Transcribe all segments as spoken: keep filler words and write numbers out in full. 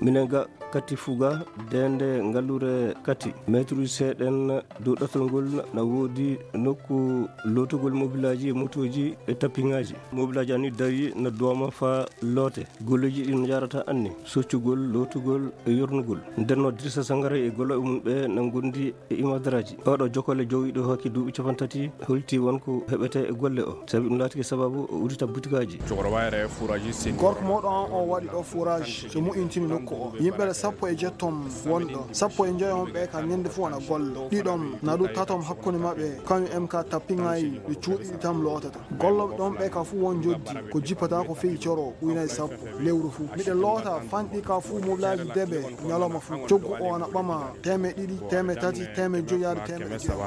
Minen ga Kati Fuga, deende ngalluure Kati, metruuji seeɗen dow ɗatal ngol, na woodi nokku lootugol mobilaaji e motooji e tapiŋaaji. Mobilaaji ani dawi na dooma faa loote. Golleeji ɗi no njaarata anni, soccugol, lootugol e yornugol. Nden no Dirisa Sangara e gollooɓe mum ɓe na ngondi e imadaraaji. Oɗo jokkole jowiiɗo hakke duuɓi capanɗe tati holti won ko heɓete e golle o, sabi ɗum laatike sababu o udita butikaaji. Gorko mawɗo an o waɗi ɗo forage, so moƴƴintini nokku o. Yimɓe sappo e jettom won ɗo. Sappo e njoyo on ɓe ka ñande fof ana golla. Ɗiɗom, na ɗum tatom hakkunde maɓɓe, kañum en ka tappingayi, ɓe cuuɗi ɗi tam lootata. Gollooɓe ɗon ɓe ka fof won joddi, ko jippata ko feyi coro, ujunaaji sappo, lewru fof. Miɗen loota fanɗi ka fof mobilaaji debe, ñalawma fof. Coggu o ana ɓama, teemeɗɗe ɗiɗi, teemeɗɗe tati, teemeɗɗe joyi yaade teemeɗɗe jeego.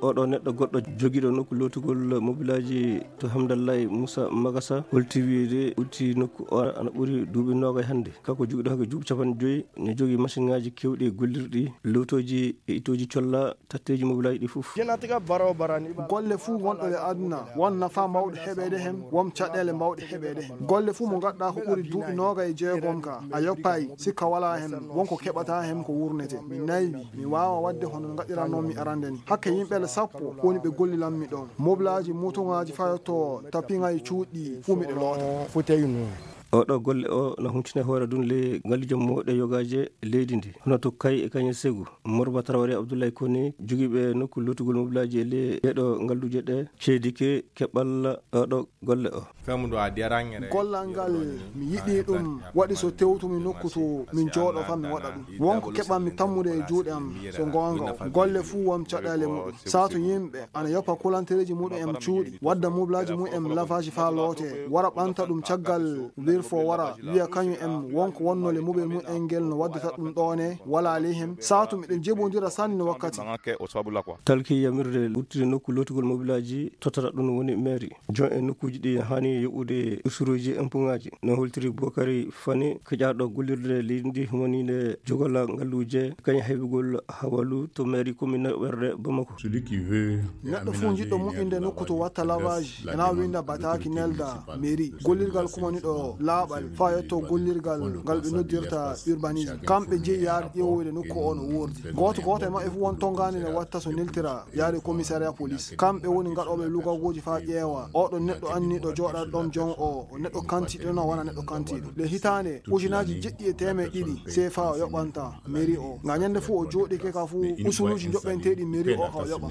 Oɗo neɗɗo goɗɗo jogiiɗo nokku lootugol mobilaaji to Hamdallahi Musa Magasa holti wiide udditi nokku o ana ɓuri duuɓi noogay hannde. Kanko jogiiɗo hakke duuɓi capanɗe joyi, ne jogii masiŋaaji keewɗi e gollirɗi, lootooji e ittooji colla tatteeji mobilaaji ɗi fof. Golle fuu wonɗo e aduna, won nafaa mawɗo heɓeede hen, won caɗeele mawɗe heɓeede hen. Golle fuu mo ngaɗɗaa ko ɓuri duuɓi noogay e jeegom ka, a yoppaay, sikka walaa hen, won ko keɓataa hen ko wurnete. Mi naywi, mi waawa waɗde hono no ngaɗiranoo mi arande ni. Hakke yimɓe sappo woni ɓe gollilan mi ɗon. Mobilaaji, motoŋaaji fayotoo, tapiŋaaji cuuɗi, fuu miɗe loota. Oɗo golle o na huntine hoore ɗum le ngalluuje mawɗe yogaaje leydi ndi. Hono to Kay e Kañe Segu, Morba Traoré, Abdoulaye Koné, jogiiɓe nokku lootugol mobilaaji e le ɗeɗo ngalluuje ɗe, ceedike keɓal oɗo golle o. Gollal ngal, mi yiɗi ɗum, waɗi so tewtumi nokku to min jooɗo faa mi waɗa ɗum. Won ko keɓanmi tammude e juuɗe am, so goonga o. Golle fuu won caɗeele muɗum. Saatu yimɓe ana yoppa kulantereeji muɗum en cuuɗi, wadda mobilaaji mum en lavage faa loote, wara ɓanta ɗum caggal wirfo wara, wiya kañum en won ko wonnoo le mobile mum en ngel no waddata ɗum ɗoone, walaa ley hen. Saatu miɗen jebondira sanne wakkati. Talki yamirde ɓurtude nokku lootugol mobilaaji tottata ɗum woni mairie. Jon e nokkuuji ɗi haani yoɓude usuruuji empuŋaaji. No holtiri Bokari Fani, keƴaaɗo gollirde leydi ndi humaniinde jogolaa ngalluuje, kañum heɓugol hawalu to mairie commune ɓerde Bamako. Neɗɗo fuu jiɗɗo moƴƴinde nokku to watta lavage, ena winda bataaki nelda mairie. Gollirgal kumaniiɗo laaɓal, faa yetto gollirgal ngal ɓe noddirta urbanisme. Kamɓe jeyi yaade ƴeewoyde nokku o no woordi. Gooto gooto e maɓɓe fuu won tonngaande nde watta so neltira yaade commissariat police. Kamɓe woni gaɗooɓe lugagooji faa ƴeewa. Oɗo neɗɗo anniiɗo jooɗaade ɗon jon o, o neɗɗo kantiiɗo no wona neɗɗo kantiiɗo. Le hitaande, ujunaaji jeɗɗi e teemeɗɗe ɗiɗi C F A o yoɓanta mairie o. Nga ñande fuu o jooɗike ka fuu usuluuji joɓɓenteeɗi mairie o ka o yoɓa.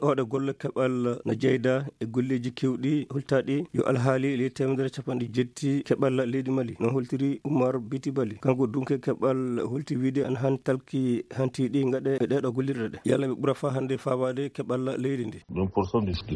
Oɗo golle keɓal na jeyda e golleeji keewɗi holtaaɗi yo alhaali ley teemedere capanɗe jetti keɓal leydi Mali. No holtiri Umar Biti Bali. Kanko dunke keɓal holti wiide ana haani talki hanti ɗi ngaɗe e ɗeɗo gollirɗe ɗe. Yalla ɓe ɓura faa hannde faabaade keɓal leydi ndi.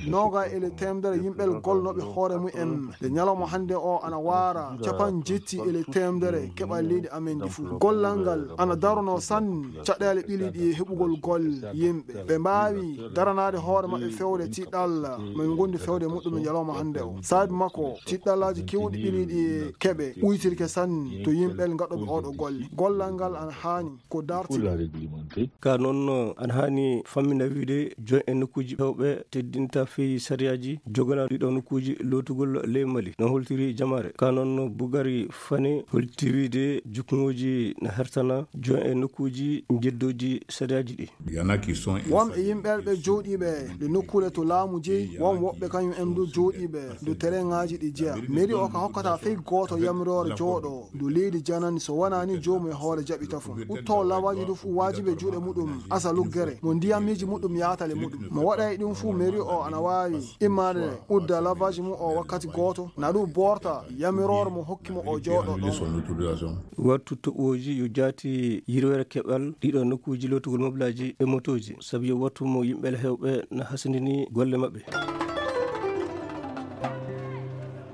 Nooga e le teemedere yimɓe golnooɓe hoore mum en. Nde ñalawma hannde o ana waara capan jetti e le teemedere keɓal leydi amen ndi fuu. Gollal ngal ana daronoo sanne caɗeele ɓili ɗi e heɓugol golle yimɓe. Ɓe mbaawi daranaade hoore maɓɓe fewde tiɗɗal mo ɓe ngondi fewde muɗɗum e ñalawma hannde o. Saabi makko, tiɗɗallaaji keewɗi ɓili ɗi e keɓe ɓuytirke sanne to yimɓe gaɗooɓe oɗo golle. Gollal ngal ana haani ko dartinde. Ka noon, ana haani fammina wiide jon e nokkuuji hewɓe teddinta fii sariyaaji joganaa ɗiɗo nokkuuji lootugol ley Mali. No holtiri jamaare. Ka noon, Bugari Fane holti wiide jukngooji na hertana jon e nokkuuji njeddooji sariyaaji ɗi. Won e yimɓe ɓe jooɗiiɓe nde nokkuure to laamu jeyi, won woɓɓe kañum en du jooɗiiɓe nde tereŋaaji ɗi jeya. Mairie o ka hokkata fey gooto yamiroore jooɗo ndu leydi janani so wonaa ni joomum e hoore jaɓi tafon. Utto lawaaji du fuu waajibi e juuɗe muɗum asa luggere mo ndiyammiiji muɗum yaatale muɗum. Mo waɗay ɗum fuu mairie o ana waawi immaade udda lawaaji mum o wakkati gooto, na ɗum boorta yamiroore mo hokki mo o jooɗo ɗon. Wattu toɓooji yo jaati yirwere keɓal ɗiɗo nokkuuji lootugol mobilaaji e motooji, sabu yo wattu mo yimɓe hewɓe na hasindini golle maɓɓe.